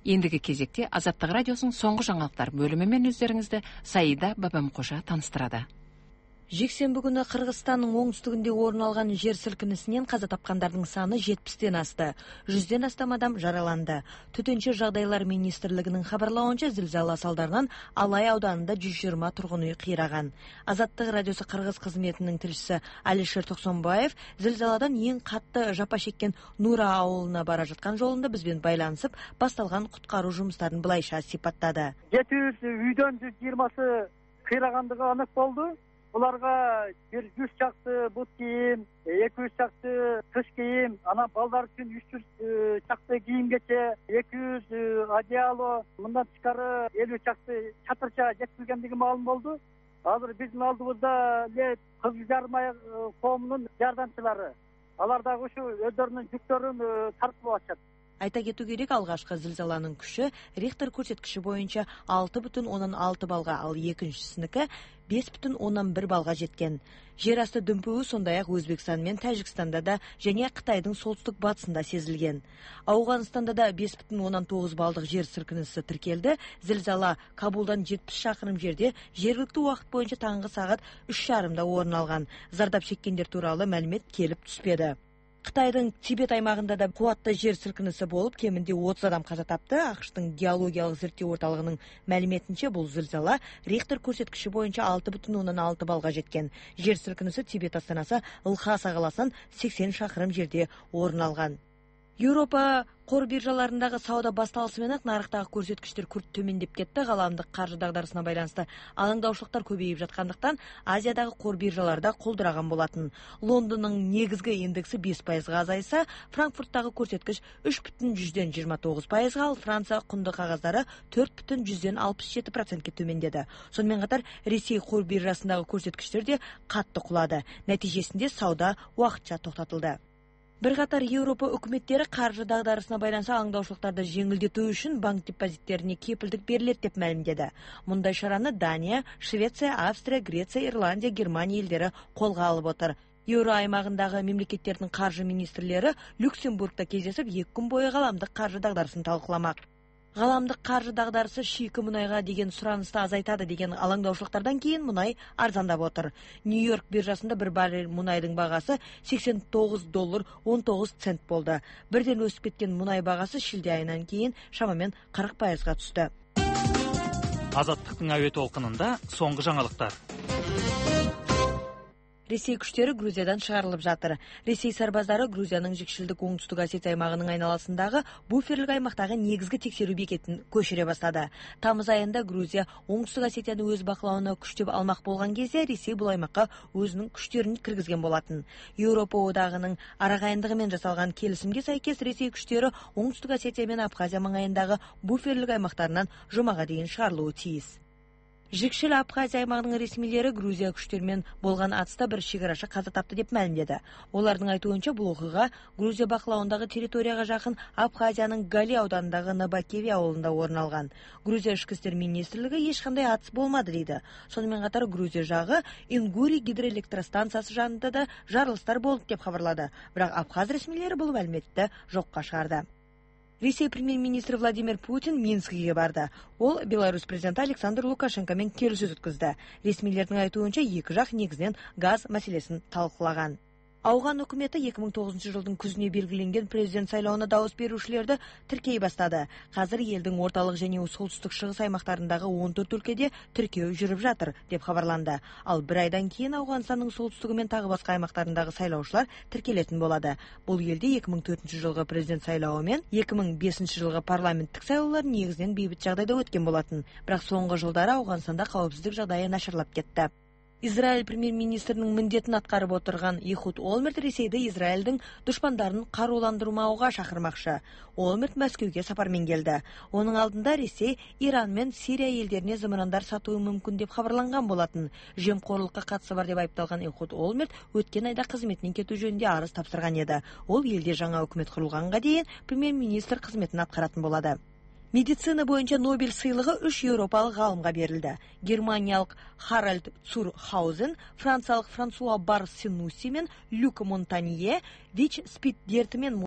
Эндиги кезекте Азаттык радиосунун соңку жаңылыктар бөлүмү менен өздөрүңүздү Саида Бабамкожа тааныштырады. Жексенбі күнү Кыргызстандын оңтүстүгүндө орун алган жер силкинисинен каза тапкандардын саны 70-тен асты. 100ден астам адам жараланды. Төтөнчө жагдайлар министрлигинин кабарлауынча, зилзала салдарынан Алай ауданында 120 тургун үй кыйраган. Азаттык радиосу Кыргыз кызметинин тилчиси Алишер Токсонбаев зилзаладан эң катты жапа чеккен Нура ауылуна бара жаткан жолунда биз менен байланышып, басталган куткаруу жумуштарын былайша сипаттады. 700 үйдөн 120сы кыйрагандыгы анык болду. Буларга 100 чакты бут кийим, 200 чакты кыш кийим, анан балдар үчүн 300 чакты кийимгече, 200 одеяло, мындан тышкары 50 чакты чатырча жеткизилгендиги маалым болду. Азыр биздин алдыбызда эле Кызыл Жармай коомунун жардамчылары. Алар дагы ушу өздөрүнүн жүктөрүн тартып атышат. Айта кетүү керек, алгачкы зилзаланын күчү Рихтер көрсөткүчү боюнча 6,6 балга, ал экинчисиники 5,1 балга жеткен. Жер асты дүмпүгү сондай ак Өзбекстан менен Тажикстанда да және Кытайдын солтүстүк батысында сезилген. Ауганстанда да 5,9 балдык жер силкиниси тиркелди. Зилзала Кабулдан 70 шакырым жерде жергиликтүү убакыт боюнча таңкы саат 3:30 орун алган. Зардап чеккендер тууралуу маалимет келип түспөдү. Кытайдын Тибет аймагында да кубатты жер силкиниси болуп, кеминде 30 адам каза тапты. АКШтын геологиялык зерттөө орталыгынын маалиметинче, бул зилзала Рихтер көрсөткүчү боюнча 6,6 балга жеткен. Жер силкиниси Тибет астанасы Лхаса каласынан 80 шакырым жерде орун алган. Европа кор биржаларындагы сауда башталышы менен нарыктагы көрсөткүчтөр күрт төмөндөп кетти. Каламдык каржы дагдарысына байланыштуу алаңдаушылыктар көбөйүп жаткандыктан Азиядагы кор биржаларда колдураган болотун. Лондондун негизги индекси 5% азайса, Франкфурттагы көрсөткүч 3,29%, ал Франция кунду кагаздары 4,67% төмөндөдү. Сонун катар Ресей кор биржасындагы көрсөткүчтөр да катты кулады. Натыйжесинде сауда убакытча токтотулду. Бир катар Европа өкмөттөрү каржы дагдарысына байланыштуу алаңдаушылыктарды жеңилдетүү үчүн банк депозиттерине кепилдик берилет деп маалимдеди. Мындай шараны Дания, Швеция, Австрия, Греция, Ирландия, Германия элдери колго алып отур. Евро аймагындагы мемлекеттердин каржы министрлери Люксембургда кездешип 2 күн бою каламдык каржы дагдарысын талкууламак. Каламдык каржы дагдарысы шийки мунайга деген суранышты азайтады деген алаңдаушылыктардан кийин мунай арзандап отур. Нью-Йорк биржасында bir баррель мунайдын багасы $89.19 болду. Бирден өсүп кеткен мунай багасы шилде айынан кийин шамамен 40%га түштү. Азаттыктын абе толкунунда соңку жаңылыктар. Ресей күчтөрү Грузиядан чыгарылып жатыр. Ресей сарбаздары Грузиянын жекшилдик оңтүстүк Осетия аймагынын айналасындагы буферлик аймактагы негизги текшерүү бекетин көчүрө баштады. Тамыз айында Грузия оңтүстүк Осетияны өз бакылауына күчтөп алмак болгон кезде Ресей бул аймакка өзүнүн күчтөрүн киргизген болотун. Европа одагынын арагайындыгы менен жасалган келисимге сайкес Ресей күчтөрү оңтүстүк Осетия менен Абхазия маңайындагы буферлик аймактарынан жумага дейин чыгарылуу тийиз. Жикшил Абхазия аймагынын ресмилери Грузия күчтөрү менен болгон атыста bir чегарашы каза тапты деп маалимдеди. Олардын айтуунча, бул окуйга Грузия бакылауындагы территорияга жакын Абхазиянын Гали ауданындагы Набакеви ауылунда орун алган. Грузия ички иштер министрлиги эч кандай атыс болмады дейди. Сонун катар Грузия жагы Ингури гидроэлектростанциясы жанында да жарылыштар болуп деп кабарлады. Бирок Абхаз ресмилери бул маалиметти жокко чыгарды. Ресей премьер-министри Владимир Путин Минскиге барды. Ол Беларусь президенти Александр Лукашенко менен келишүү өткөздү. Ресмилердин айтуунча, эки жак негизинен газ маселесин талкуулаган. Ауган өкмөтү 2009 жылдын күзүнө белгиленген президент сайлооуна дабыс берүүчүлөрдү тиркей баштады. Азыр элдин ортолук жана солтүстүк чыгыс аймактарындагы 14 өлкөдө тиркөө жүрүп жатыр деп кабарланды. Ал bir айдан кийин Ауганстандын солтүстүгү менен тагы башка аймактарындагы сайлоочулар тиркелетин болот. Бул элде 2004 жылгы президент сайлоого менен 2005 жылгы парламенттик сайлоолор негизинен бейбит жагдайда өткөн болотун. Бирок соңку жылдары Ауганстанда каапсыздык жагдайы начарлап кетти. Израиль премьер-министринин мындетин аткарып отурган Ихуд Олмерт Ресейде Израилдин душмандарын карууландырмауга чакырмакчы. Олмерт Москвеге сапар менен келди. Онун алдында Ресей Иран менен Сирия элдерине зымырандар сатуу мүмкүн деп кабарланган болотун. Жемкорлукка катышы бар деп айыпталган Ихуд Олмерт өткөн айда кызметинен кетүү жөнүндө арыз тапшырган эди. Ол элде жаңа өкмөт курулганга дейин премьер-министр кызметин аткаратын болот. Медицина боюнча Нобель сыйлыгы 3 европалык галымга берилди. Германиялык Харальд Цурхаузен, франциялык Франсуа Барсинуси менен Люк Монтанье ВИЧ-спид дерти менен